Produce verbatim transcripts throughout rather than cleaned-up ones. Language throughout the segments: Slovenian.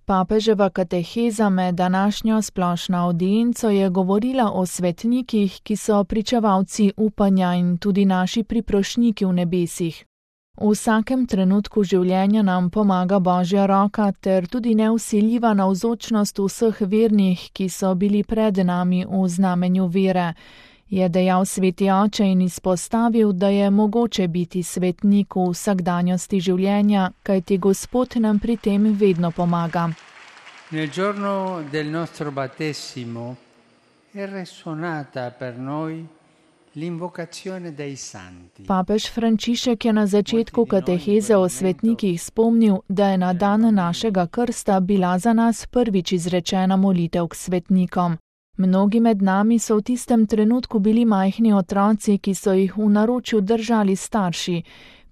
Papeževa kateheza med današnjo splošno audienco je govorila o svetnikih, ki so pričevalci upanja in tudi naši priprošniki v nebesih. V vsakem trenutku življenja nam pomaga Božja roka ter tudi nevsiljiva navzočnost vseh vernih, ki so bili pred nami v znamenju vere, je dejal sveti oče in izpostavil, da je mogoče biti svetnik v vsakdanjosti življenja, kajti Gospod nam pri tem vedno pomaga. Nel giorno del nostro battesimo è risuonata per noi l'invocazione dei santi. Papež Frančišek je na začetku kateheze o svetnikih spomnil, da je na dan našega krsta bila za nas prvič izrečena molitev k svetnikom. Mnogi med nami so v tistem trenutku bili majhni otroci, ki so jih v naročju držali starši.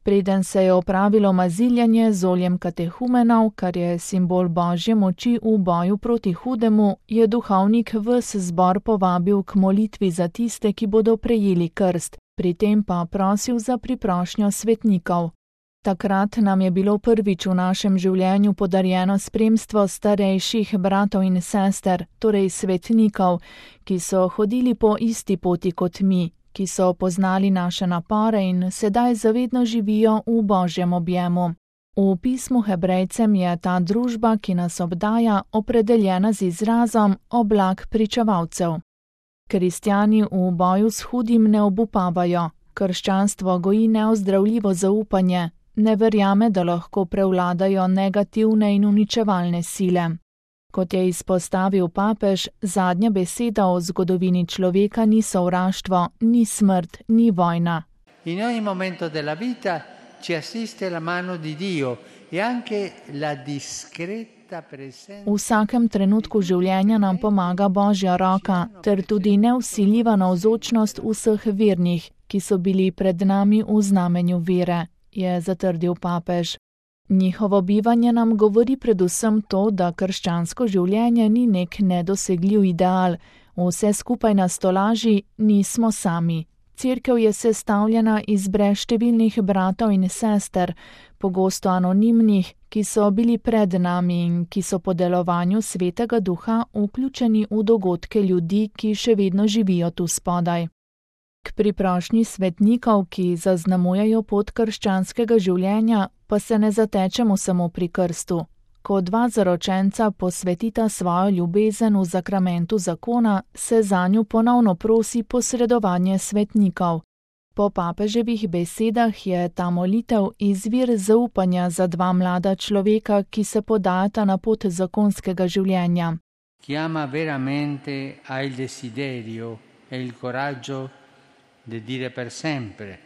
Preden se je opravilo maziljanje z oljem katehumenov, kar je simbol Božje moči v boju proti hudemu, je duhovnik ves zbor povabil k molitvi za tiste, ki bodo prejeli krst, pri tem pa prosil za priprošnjo svetnikov. Takrat nam je bilo prvič v našem življenju podarjeno spremstvo starejših bratov in sester, torej svetnikov, ki so hodili po isti poti kot mi, ki so poznali naše napore in sedaj zavedno živijo v Božjem objemu. V pismu Hebrejcem je ta družba, ki nas obdaja, opredeljena z izrazom oblak pričevalcev. Kristjani v boju s hudim ne obupavajo, krščanstvo goji neozdravljivo zaupanje, ne verjame, da lahko prevladajo negativne in uničevalne sile. Kot je izpostavil papež, zadnja beseda o zgodovini človeka ni sovraštvo, ni smrt, ni vojna. In ogni momento della vita ci assiste la mano di Dio e anche la discreta presenza. V vsakem trenutku življenja nam pomaga Božja roka, ter tudi nevsiljiva navzočnost vseh vernih, ki so bili pred nami v znamenju vere, je zatrdil papež. Njihovo bivanje nam govori predvsem to, da krščansko življenje ni nek nedosegljiv ideal, vse skupaj nas tolaži, nismo sami. Cerkev je sestavljena iz brezštevilnih bratov in sester, pogosto anonimnih, ki so bili pred nami in ki so po delovanju Svetega Duha vključeni v dogodke ljudi, ki še vedno živijo tu spodaj. K priprošnji svetnikov, ki zaznamujejo pot krščanskega življenja, pa se ne zatečemo samo pri krstu. Ko dva zaročenca posvetita svojo ljubezen v zakramentu zakona, se zanju ponovno prosi posredovanje svetnikov. Po papeževih besedah je ta molitev izvir zaupanja za dva mlada človeka, ki se podajata na pot zakonskega življenja. Chiama veramente ha il desiderio e il coraggio de dire per sempre,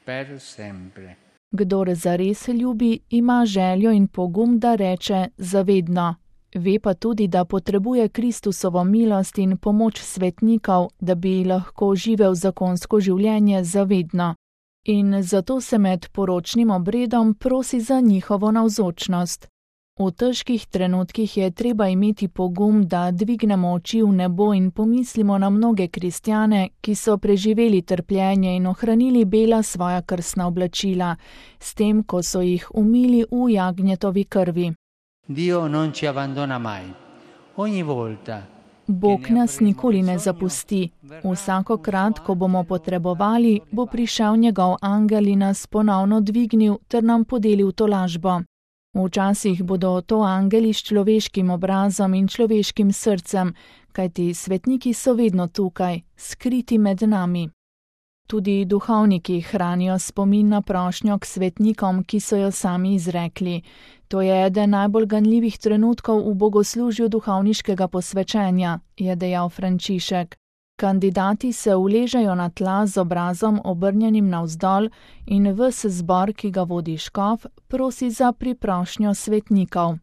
per sempre. Kdor zares ljubi, ima željo in pogum, da reče zavedno. Ve pa tudi, da potrebuje Kristusovo milost in pomoč svetnikov, da bi lahko živel zakonsko življenje zavedno. In zato se med poročnim obredom prosi za njihovo navzočnost. V težkih trenutkih je treba imeti pogum, da dvignemo oči v nebo in pomislimo na mnoge kristjane, ki so preživeli trpljenje in ohranili bela svoja krstna oblačila, s tem, ko so jih umili v jagnjetovi krvi. Dio non ci abbandona mai. Ogni volta. Bog nas nikoli ne zapusti. Vsakokrat, ko bomo potrebovali, bo prišel njegov angel in nas ponovno dvignil ter nam podelil tolažbo. Včasih bodo to angeli s človeškim obrazom in človeškim srcem, kajti svetniki so vedno tukaj, skriti med nami. Tudi duhovniki hranijo spomin na prošnjo k svetnikom, ki so jo sami izrekli. To je eden najbolj ganljivih trenutkov v bogoslužju duhovniškega posvečenja, je dejal Frančišek. Kandidati se uležejo na tla z obrazom obrnjenim navzdol in ves zbor, ki ga vodi škof, prosi za priprošnjo svetnikov.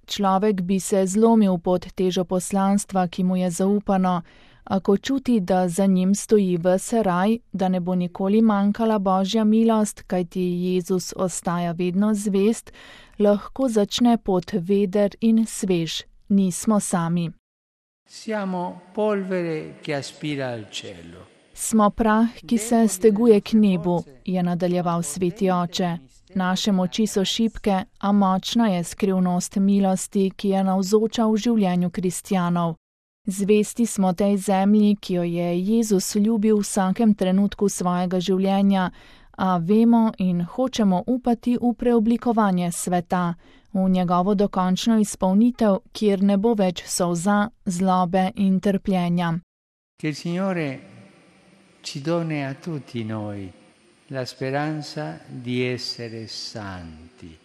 Človek bi se zlomil pod težo poslanstva, ki mu je zaupano, a ko čuti, da za njim stoji ves raj, da ne bo nikoli manjkala Božja milost, kajti Jezus ostaja vedno zvest, lahko začne pot veder in svež. Nismo sami. Siamo polvere che aspira al cielo. Smo prah, ki se steguje k nebu, je nadaljeval sveti oče. Naše moči so šibke, a močna je skrivnost milosti, ki je navzoča v življenju kristjanov. Zvesti smo tej zemlji, ki jo je Jezus ljubil v vsakem trenutku svojega življenja, a vemo in hočemo upati v preoblikovanje sveta, v njegovo dokončno izpolnitev, kjer ne bo več solza, zlobe in trpljenja. Che il Signore ci doni a tutti noi la speranza di essere santi.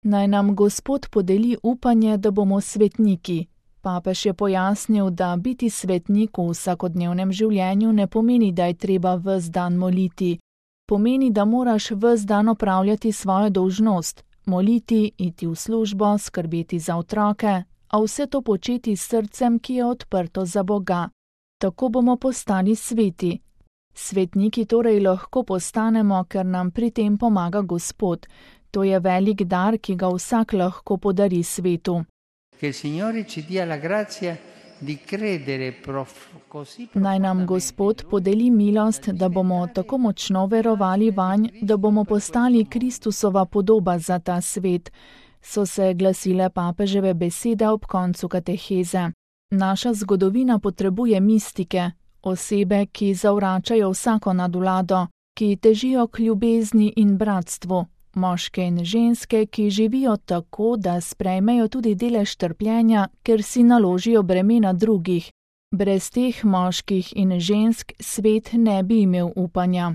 Naj nam Gospod podeli upanje, da bomo svetniki. Papež je pojasnil, da biti svetnik v vsakodnevnem življenju ne pomeni, da je treba ves dan moliti. Pomeni, da moraš ves dan opravljati svojo dolžnost, moliti, iti v službo, skrbeti za otroke, a vse to početi s srcem, ki je odprto za Boga. Tako bomo postali sveti. Svetniki torej lahko postanemo, ker nam pri tem pomaga Gospod. To je velik dar, ki ga vsak lahko podari svetu. Naj nam Gospod podeli milost, da bomo tako močno verovali vanj, da bomo postali Kristusova podoba za ta svet, so se glasile papeževe besede ob koncu kateheze. Naša zgodovina potrebuje mistike, osebe, ki zavračajo vsako nadvlado, ki težijo k ljubezni in bratstvu, moške in ženske, ki živijo tako, da sprejmejo tudi delež trpljenja, ker si naložijo bremena drugih. Brez teh moških in žensk svet ne bi imel upanja.